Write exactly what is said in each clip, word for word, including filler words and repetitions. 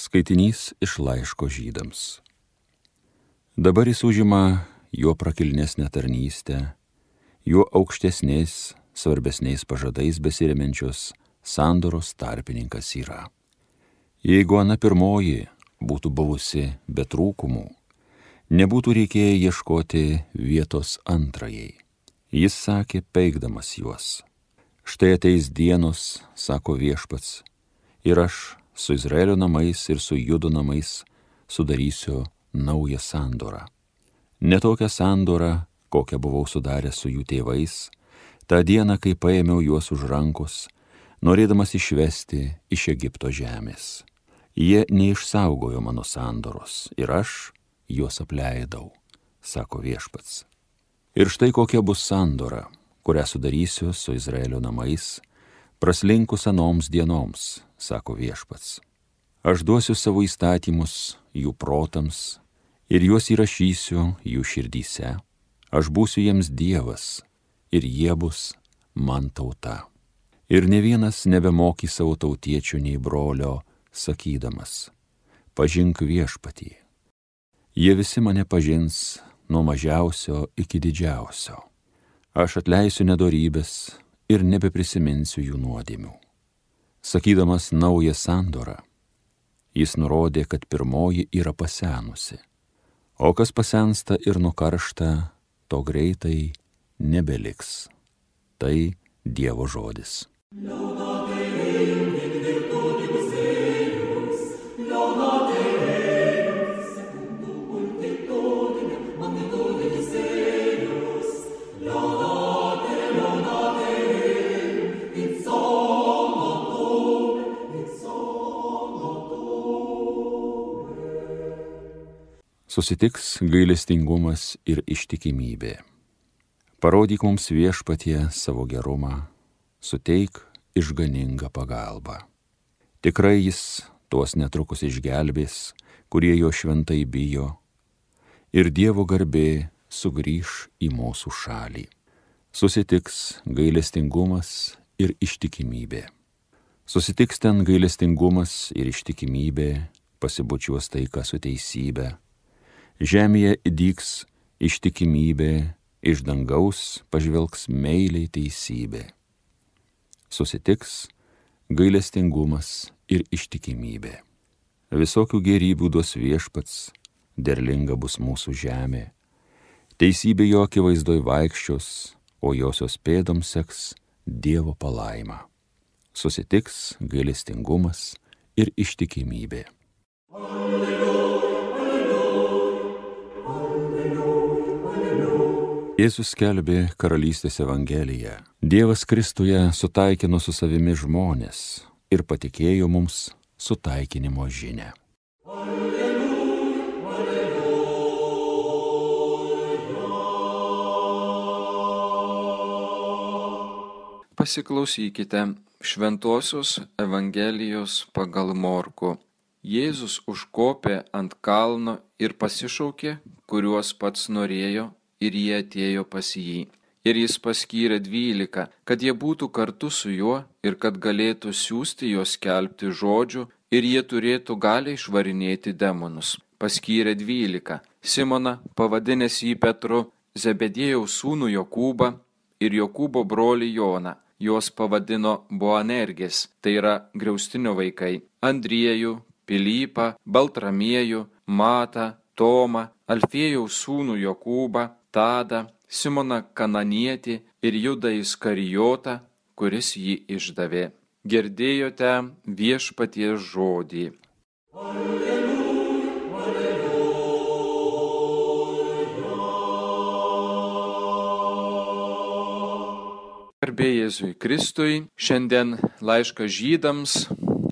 Skaitinys iš laiško Žydams. Dabar jis užima jo prakilnesnę tarnystę, jo aukštesniais, svarbesniais pažadais besiremiančios sandoros tarpininkas yra. Jeigu ana pirmoji būtų buvusi be trūkumų, nebūtų reikėję ieškoti vietos antrajai. Jis sakė, peikdamas juos: štai ateis dienos, sako Viešpats, ir aš su Izraelio namais ir su Judo namais sudarysiu naują sandorą. Ne tokią sandorą, kokią buvau sudaręs su jų tėvais, tą dieną, kai paėmiau juos už rankos, norėdamas išvesti iš Egipto žemės. Jie neišsaugojo mano sandoros ir aš juos apleidau, sako Viešpats. Ir štai kokia bus sandora, kurią sudarysiu su Izraelio namais, praslinkus anoms dienoms, sako Viešpats. Aš duosiu savo įstatymus jų protams ir juos įrašysiu jų širdyse. Aš būsiu jiems Dievas ir jie bus man tauta. Ir ne vienas nebemokys savo tautiečių nei brolio, sakydamas: pažink Viešpatį. Jie visi mane pažins nuo mažiausio iki didžiausio. Aš atleisiu nedorybės ir nebeprisiminsiu jų nuodėmių. Sakydamas naują sandorą, jis nurodė, kad pirmoji yra pasenusi, o kas pasensta ir nukaršta, to greitai nebeliks. Tai Dievo žodis. Susitiks gailestingumas ir ištikimybė. Parodyk mums, Viešpatie, savo gerumą, suteik išganingą pagalbą. Tikrai jis tuos netrukus išgelbės, kurie jo šventai bijo, ir Dievo garbė sugrįš į mūsų šalį. Susitiks gailestingumas ir ištikimybė. Susitiks ten gailestingumas ir ištikimybė, pasibučiuos taika su teisybė. Žemėje įdyks ištikimybė, iš dangaus pažvelgs meiliai teisybė. Susitiks gailestingumas ir ištikimybė. Visokių gėrybių duos Viešpats, derlinga bus mūsų žemė. Teisybė jo akivaizdoj vaikščios, o josios pėdoms seks Dievo palaima. Susitiks gailestingumas ir ištikimybė. Jėzus skelbė karalystės evangeliją. Dievas Kristuje sutaikino su savimi žmonės ir patikėjo mums sutaikinimo žinią. Pasiklausykite Šventosios Evangelijos pagal Morkų. Jėzus užkopė ant kalno ir pasišaukė, kuriuos pats norėjo, ir jie atėjo pas jį. Ir jis paskyrė dvylika, kad jie būtų kartu su juo ir kad galėtų siųsti juos skelbti žodžių ir jie turėtų galią išvarinėti demonus. Paskyrė dvylika: Simoną, pavadinęs jį Petru, Zebediejaus sūnų Jokūbą ir Jokūbo brolį Joną. Juos pavadino Boanergės, tai yra griaustinio vaikai, Andriejų, Pilypą, Baltramiejų, Matą, Tomą, Alfiejaus sūnų Jokūbą, Tadą, Simoną Kananietį ir Judą Iskarijotą, kuris jį išdavė. Girdėjote Viešpaties žodį. Alleluja, alleluja. Garbė Jėzui Kristui. Šiandien laiškas Žydams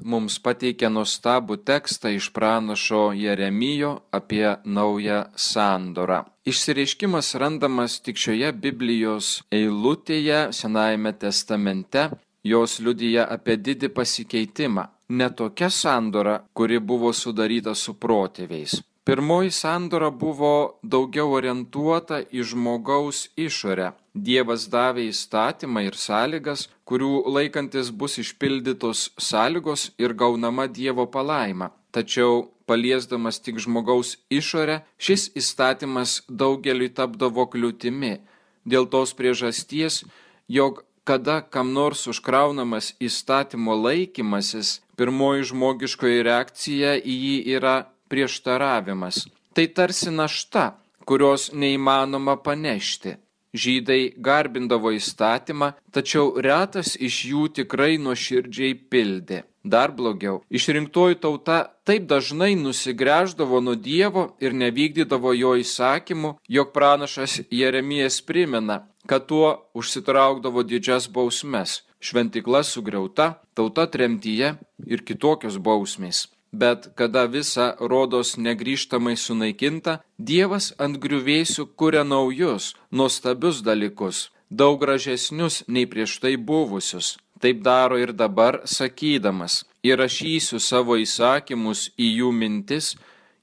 mums pateikia nuostabų tekstą iš pranašo Jeremijo apie naują sandorą. Išsireiškimas randamas tik šioje Biblijos eilutėje Senajame testamente. Jos liudija apie didį pasikeitimą. Ne tokia sandora, kuri buvo sudaryta su protėviais. Pirmoji sandora buvo daugiau orientuota į žmogaus išorę. Dievas davė įstatymą ir sąlygas, kurių laikantis bus išpildytos sąlygos ir gaunama Dievo palaima. tačiau paliesdamas tik žmogaus išorę, šis įstatymas daugeliui tapdavo kliūtimi, dėl tos priežasties, jog kada kam nors užkraunamas įstatymo laikymasis, pirmoji žmogiškoji reakcija į jį yra prieštaravimas. Tai tarsi našta, kurios neįmanoma panešti. Žydai garbindavo įstatymą, tačiau retas iš jų tikrai nuoširdžiai pildė. Dar blogiau, išrinktoji tauta taip dažnai nusigręždavo nuo Dievo ir nevykdydavo jo įsakymų, jog pranašas Jeremijas primena, kad tuo užsitraukdavo didžias bausmes. Šventykla sugriauta, tauta tremtyje ir kitokios bausmės. Bet kada visa rodos negrįžtamai sunaikinta, Dievas ant griuvėsių kuria naujus, nuostabius dalykus, daug gražesnius nei prieš tai buvusius. Taip daro ir dabar, sakydamas, įrašysiu savo įsakymus į jų mintis,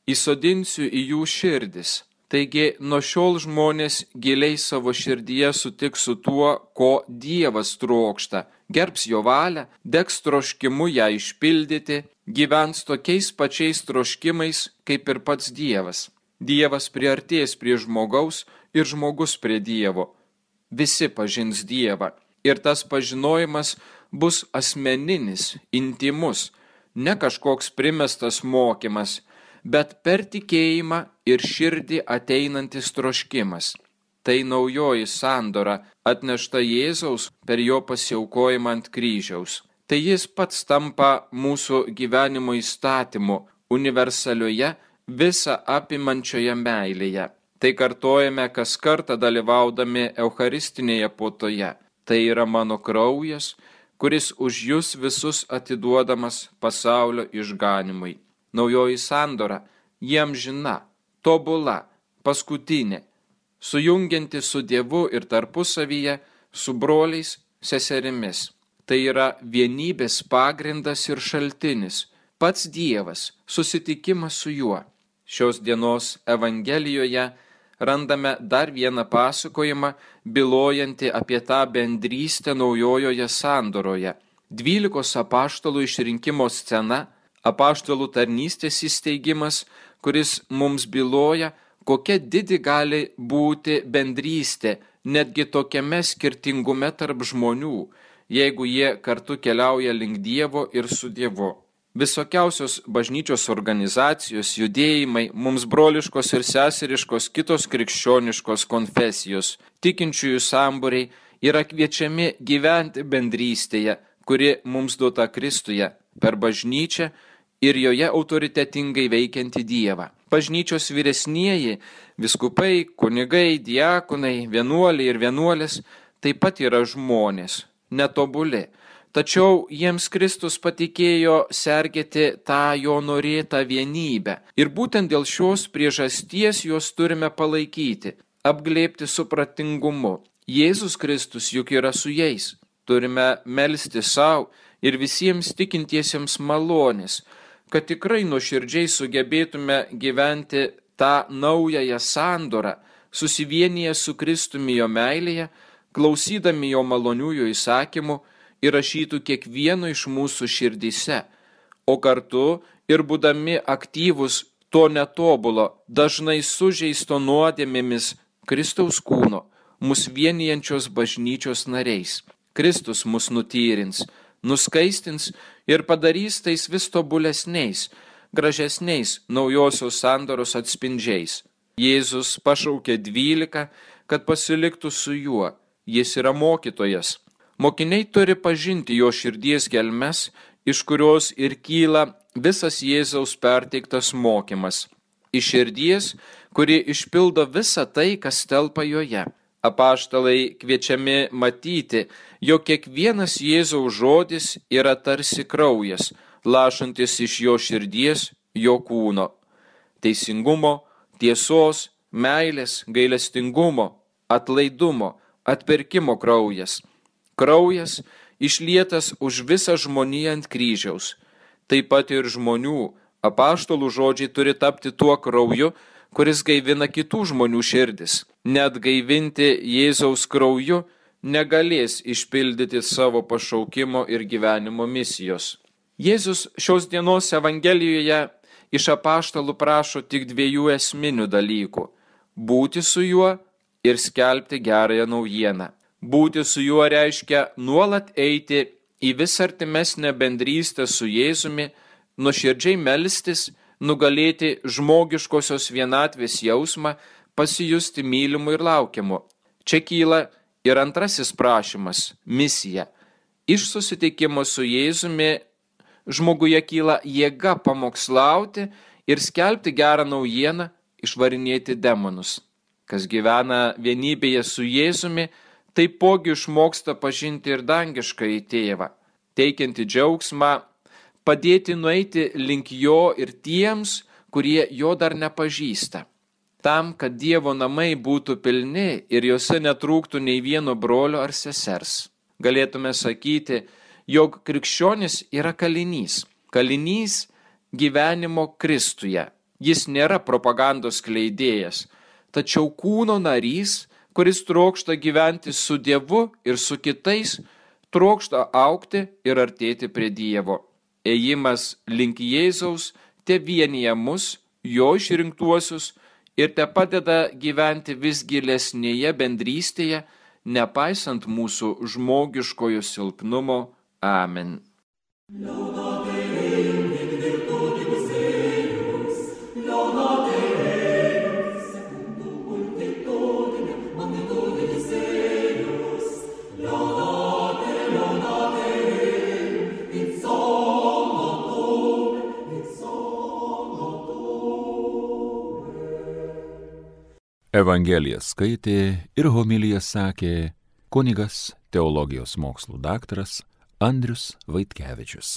įsodinsiu į jų širdis. Taigi, nuo šiol žmonės giliai savo širdyje sutiks su tuo, ko Dievas trokšta, gerbs jo valią, degs troškimu ją išpildyti, gyvens tokiais pačiais troškimais, kaip ir pats Dievas. Dievas priartės prie žmogaus ir žmogus prie Dievo. Visi pažins Dievą. Ir tas pažinojimas bus asmeninis, intimus, ne kažkoks primestas mokymas, bet per tikėjimą ir širdį ateinantis troškimas. Tai naujoji sandora atnešta Jėzaus per jo pasiaukojimą ant kryžiaus. Tai jis pats tampa mūsų gyvenimo įstatymu, universalioje, visą apimančioje meilėje. Tai kartojame kas kartą dalyvaudami eucharistinėje puotoje. Tai yra mano kraujas, kuris už jūs visus atiduodamas pasaulio išganimui. Naujoji sandora, jiem žina, tobula, paskutinė, sujungianti su Dievu ir tarpusavyje, su broliais, seserimis. Tai yra vienybės pagrindas ir šaltinis, pats Dievas, susitikimas su juo. Šios dienos Evangelijoje randame dar vieną pasakojimą, bylojantį apie tą bendrystę naujojoje sandoroje. Dvylikos apaštalų išrinkimo scena, apaštalų tarnystės įsteigimas, kuris mums byloja, kokia didi gali būti bendrystė, netgi tokiame skirtingume tarp žmonių, jeigu jie kartu keliauja link Dievo ir su Dievu. Visokiausios bažnyčios organizacijos, judėjimai, mums broliškos ir seseriškos kitos krikščioniškos konfesijos, tikinčiųjų sambūriai yra kviečiami gyventi bendrystėje, kuri mums duota Kristuje, per bažnyčią ir joje autoritetingai veikianti Dievą. Bažnyčios vyresnieji, vyskupai, kunigai, diakonai, vienuoliai ir vienuolės taip pat yra žmonės, netobuli. Tačiau jiems Kristus patikėjo sergėti tą jo norėtą vienybę. Ir būtent dėl šios priežasties juos turime palaikyti, apglėbti supratingumu. Jėzus Kristus juk yra su jais. Turime melsti savo ir visiems tikintiesiems malonės, kad tikrai nuoširdžiai sugebėtume gyventi tą naująją sandorą, susivienyje su Kristumi jo meilėje, klausydami jo maloniųjų įsakymų, įrašytų kiekvieno iš mūsų širdyse, o kartu ir būdami aktyvus to netobulo, dažnai sužeisto nuodėmėmis Kristaus kūno, mus vienijančios bažnyčios nariais. Kristus mus nutyrins, nuskaistins ir padarys tais vis tobulesniais, gražesniais naujosios sandoros atspindžiais. Jėzus pašaukė dvylika, kad pasiliktų su juo. Jis yra mokytojas. Mokiniai turi pažinti jo širdies gelmes, iš kurios ir kyla visas Jėzaus perteiktas mokymas. Iš širdies, kuri išpildo visą tai, kas telpa joje. Apaštalai kviečiami matyti, jog kiekvienas Jėzaus žodis yra tarsi kraujas, lašantis iš jo širdies, jo kūno. Teisingumo, tiesos, meilės, gailestingumo, atlaidumo, atpirkimo kraujas. Kraujas išlietas už visą žmoniją ant kryžiaus. Taip pat ir žmonių, apaštalų žodžiai turi tapti tuo krauju, kuris gaivina kitų žmonių širdis. Net gaivinti Jėzaus krauju negalės išpildyti savo pašaukimo ir gyvenimo misijos. Jėzus šios dienos Evangelijoje iš apaštalų prašo tik dviejų esminių dalykų – būti su juo ir skelbti gerąją naujieną. Būti su juo reiškia nuolat eiti į vis artimesnę bendrystę su Jėzumi, nuoširdžiai melstis, nugalėti žmogiškosios vienatvės jausmą, pasijusti mylimu ir laukiamu. Čia kyla ir antrasis prašymas – misija. Iš susitikimo su Jėzumi žmoguje kyla jėga pamokslauti ir skelbti gerą naujieną, išvarinėti demonus. Kas gyvena vienybėje su Jėzumi, taipogi išmoksta pažinti ir dangiškąjį tėvą, teikianti džiaugsmą, padėti nueiti link jo ir tiems, kurie jo dar nepažįsta. Tam, kad Dievo namai būtų pilni ir juose netrūktų nei vieno brolio ar sesers. Galėtume sakyti, jog krikščionis yra kalinys. Kalinys gyvenimo Kristuje. Jis nėra propagandos skleidėjas, tačiau kūno narys, kuris trokšta gyventi su Dievu ir su kitais, trokšta augti ir artėti prie Dievo. Ėjimas link Jėzaus te vienija mus, jo išrinktuosius, ir te padeda gyventi vis gilesnėje bendrystėje, nepaisant mūsų žmogiškojo silpnumo. Amen. Evangeliją skaitė ir homiliją sakė kunigas, teologijos mokslų daktaras Andrius Vaitkevičius.